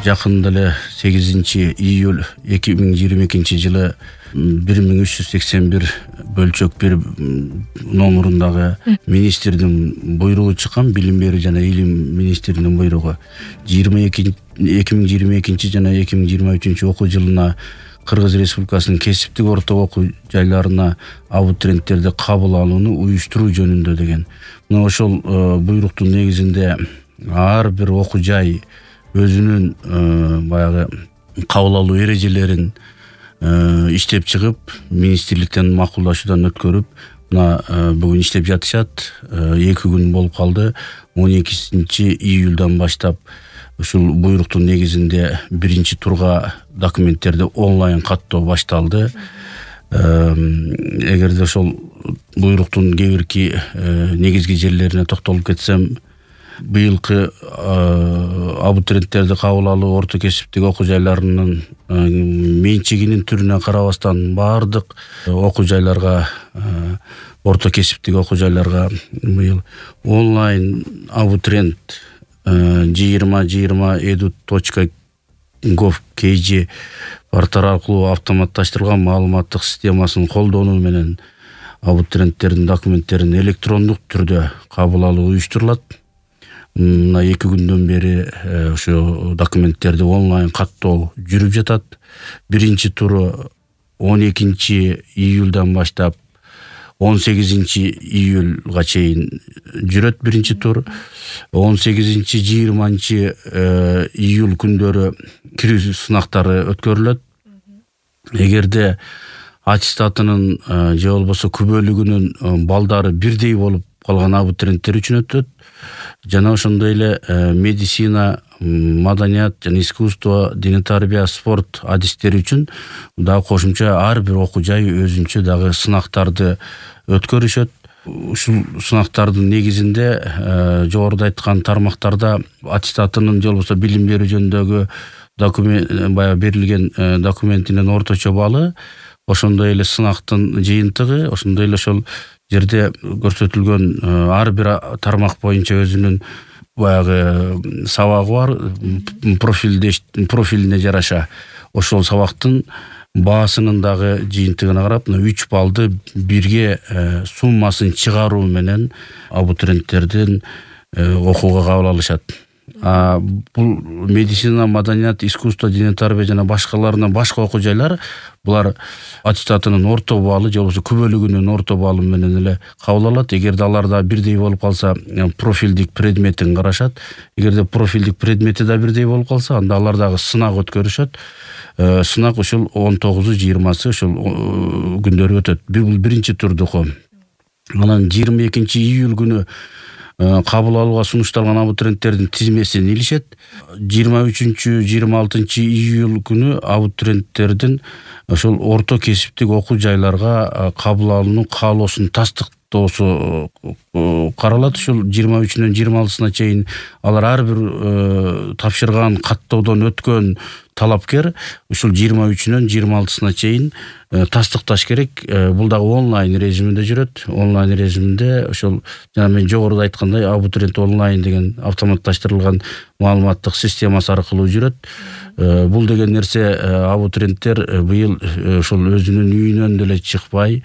жакында эле 8-июль 2022-жылы 1381 бөлчөк 1 номурундагы министрдин буйругу чыккан, билим берүү жана илим министринин буйругу 2022 жана 2023 окуу жылына Кыргыз Республикасынын кесиптик орто окуу жайларына абитуриенттерди кабыл алууну уюштуруу жөнүндө деген. Мына ошол буйруктун негизинде ар бир окуу жай өзүнүн баягы кабыл алуу эрежелерин иштеп чыгып, министрликтен макулдашуудан өткөрүп, мына бүгүн иштеп жатышат. 2 күн болуп калды. 12-июлдан баштап ушул буйруктун негизинде биринчи турга документтерди онлайн каттоо башталды. Эгерде ошол буйруктун кээ бирки негизги жерлерине токтолуп кетсем, быйылкы абитуриенттерди кабыл алуу орто кесиптик окуу жайларынын менчигинин түрүнө карабастан баардык окуу жайларга, орто кесиптик окуу жайларга быйыл онлайн абитуриент 2020edu.kg порталы аркылуу автоматташтырылган маалыматтык системасын колдонуу менен абитуриенттердин документтерин электрондук түрдө кабыл алуу уюштурулат. Мына 2 күндөн бери ошо документтерди онлайн каттоо жүрүп жатат. Биринчи туру 12-июлдан баштап 18-июлга чейин жүрөт биринчи тур. 18-20-июль күндөрү кирүү сынактары өткөрүлөт. Эгерде аттестатынын же болбосо күбөлүгүнүн балдары бирдей болуп калган абитуриенттер үчүн өтөт. Жана ошондой эле медицина, маданият жана искусство, диний тарбия, спорт адистери үчүн дагы кошумча ар бир окуу жай өзүнчө дагы сынактарды өткөрүшөт. Ушул сынактардын негизинде жогоруда айткан тармактарда аттестатынын же болбосо билим берүү жөнүндөгү баягы берилген документинин орточо баллы, ошондой эле сынактын жыйынтыгы, ошондой эле ошол жерде көрсөтүлгөн ар бир тармак боюнча өзүнүн баягы сабагы бар, профилине жараша ошол сабактын баасынын дагы жыйынтыгына карап, 3 баллды бирге суммасын чыгаруу менен абитуриенттердин окууга кабыл алышат. Бул медицина, маданият, искусство, диний тарбия жана башкаларынан башка окуу жайлар булар аттестатынын орто баллы же болбосо күбөлүгүнүн орто баллы менен эле кабыл алат. Эгерде аларда бирдей болуп калса, профилдик предметин карашат. Эгерде профилдик предмети да бирдей болуп калса, анда алар дагы сынак өткөрүшөт. Сынак ушул 19-20 ошол күндөрү өтөт. Бул биринчи турдуку. Анан 22-июль күнү кабыл алууга сунушталган абитуриенттердин тизмесин илишет. 23-26-июль күнү абитуриенттердин ошол орто кесиптик окуу жайларга кабыл алууну каалоосун тастыктоосу каралат. Ушул 23-нөн 26-сына чейин алар ар бир тапшырган каттоодон өткөн талапкер ушул 23-нөн 26-сына чейин тастыкташ керек. Бул дагы онлайн режиминде жүрөт. Онлайн режиминде ошол жана мен жогоруда айткандай абитуриент онлайн деген автоматташтырылган маалыматтык системасы аркылуу жүрөт. Бул деген нерсе абитуриенттер быйыл ошол өзүнүн үйүнөн деле чыкпай,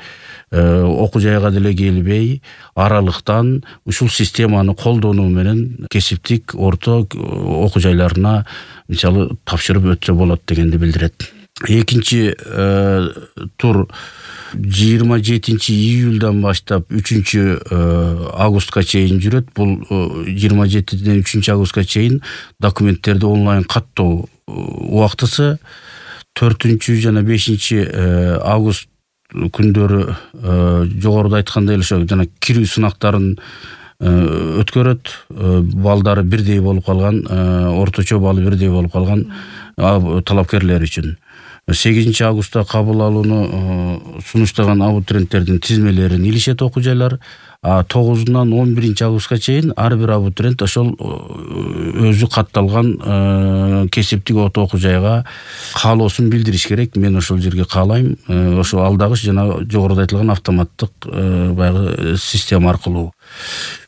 окуу жайга деле келбей, аралыктан ушул системаны колдонуу менен кесиптик орто окуу жайларына мисалы тапшырып өтсө болот дегенди билдирет. Экинчи тур 27-июлдан баштап 3-августка чейин жүрөт. Бул 27-ден 3-августка чейин документтерди онлайн каттоо убактысы. 4 жана 5-август күндөрү жогоруда айткандай эле ошо жана кирүү сынактарын өткөрөт. Балдары бирдей болуп калган, орточо баллы бирдей болуп калган талапкерлер үчүн. 8-августта кабыл алууну сунуштаган абитуриенттердин тизмелерин илишет окуу жайлар. 9-нан 11-августка чейин ар бир абитуриент ошол өзү катталган кесиптик окуу жайга каалоосун билдириш керек. Мен ошол жерге каалайм. Ошо алдагыч жана жогоруда айтылган автоматтык баягы система аркылуу.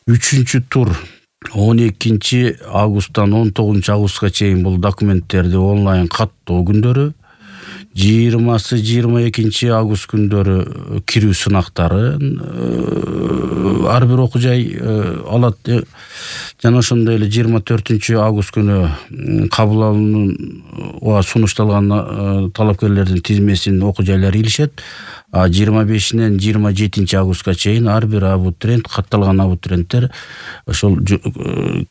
3-тур 12 августтан 19 августка чейин бул документтерди онлайн каттоо күндөрү, 20-22 август күндөрү кирүү сынактарын ар бир окуу жай алат. Жана ошондой эле 24 август күнү кабыл алууга сунушталган талапкерлердин тизмесин окуу жайлар илишет. 25-нен 27 августка чейин ар бир абитуриент, катталган абитуриенттер ошол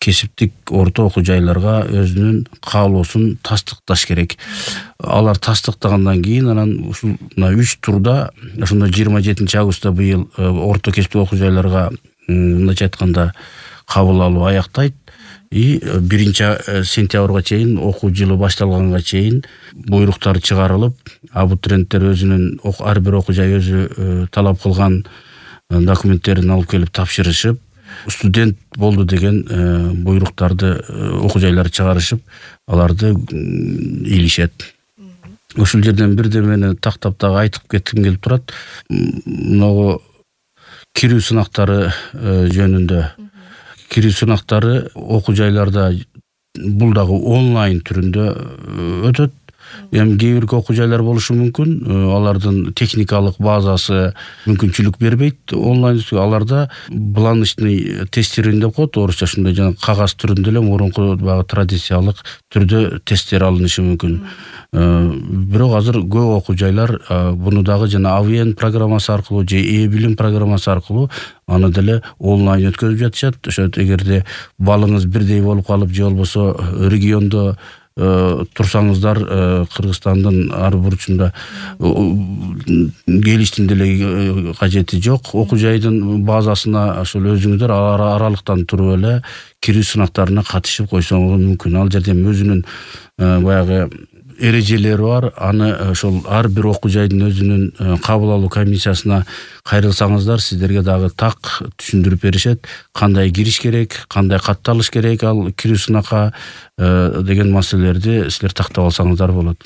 кесиптик орто окуу жайларга өзүнүн каалоосун тастыкташ керек. Алар тастыктагандан кийин анан ушул 3 турда ошондо 27 августта быйыл орто кесиптик окуу жайларга мындайча айтканда кабыл алуу аяктайт. 1 сентябрга чейин окуу жылы башталганга чейин буйруктар чыгарылып, абитуриенттер өзүнүн ар бир окуу жай өзү талап кылган документтерин алып келип тапшырышып, студент болду деген буйруктарды окуу жайлар чыгарышып, аларды илишет. Ушул жерден бирдемени тактап дагы айтып кетким келип турат. Могу кирүү сынактары жөнүндө. Кирүү сынактары окуу жайларда бул дагы онлайн түрүндө өтөт. Эми кээ бир окуу жайлар болушу мүмкүн, алардын техникалык базасы мүмкүнчүлүк бербейт онлайн. Аларда бланочный тестирование деп коет, орусча ушундай жана кагаз түрүндө эле мурунку баягы традициялык түрдө тесттер алынышы мүмкүн. Бирок азыр көп окуу жайлар буну дагы жана Авен программасы аркылуу же e-билим программасы аркылуу аны деле онлайн өткөзүп жатышат. Ошо эгерде балыңыз бирдей болуп калып же болбосо региондо турсаңыздар, Кыргызстандын ар бурчунда келиштин деле кажети жок. Окуу жайдын базасына ошол өзүңүздөр аралыктан туруп эле кирүү сынактарына катышып койсоңуз мүмкүн. Ал жерде өзүнүн баягы эрежелери бар. Аны ошол ар бир окуу жайдын өзүнүн кабыл алуу комиссиясына кайрылсаңыздар, сиздерге дагы так түшүндүрүп беришет. Кандай кириш керек, кандай катталыш керек ал кирүү сынакка деген маселелерди силер тактап алсаңыздар болот.